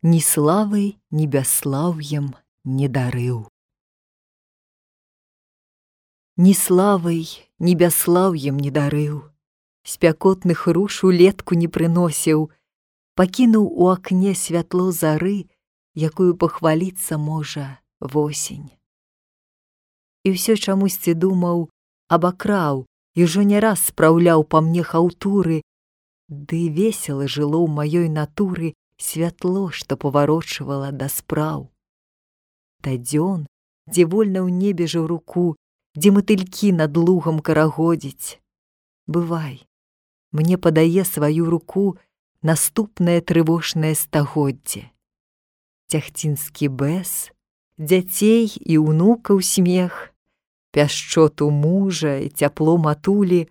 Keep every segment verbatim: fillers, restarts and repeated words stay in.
ні славай, ні бясслаўем не дарыў. Ні славай, ні бясслаўем не дарыў, спякотных руш улетку не прыносіў, пакінуў у акне святло зары, якую пахваліцца можа восень. І ўсё чамусьці думаў, абакраў, і ўжо не раз спраўляў па мне хаўтуры, ды весела жыло ў маёй натуры святло, што паварочвала да спраў. Да дзён, дзе вольна ў небе жаўруку, дзе матылькі над лугам карагодзіць. Бывай, мне падае сваю руку наступнае трывожнае стагоддзе. Цяхцінскі бэс, дзяцей і ўнукаў смех, пяшчоту мужа і цяпло матулі,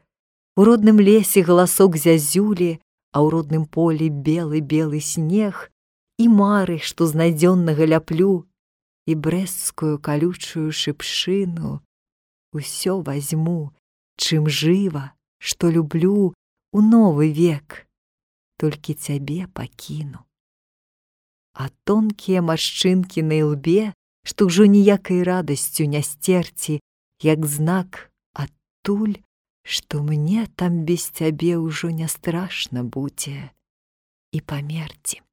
у родным лесе галасок зязюлі, а ў родным полі белы-белы снег, і мары, што з найдзённага ляплю, і брэсцкую калючую шыпшыну. Усё вазьму, чым жыва, што люблю, у новы век, толькі цябе пакіну. А тонкія маршчынкі на ілбе, што ўжо ніякай радасцю не сцерці, як знак адтуль, што мне там без цябе ўжо не страшна будзе і памерці.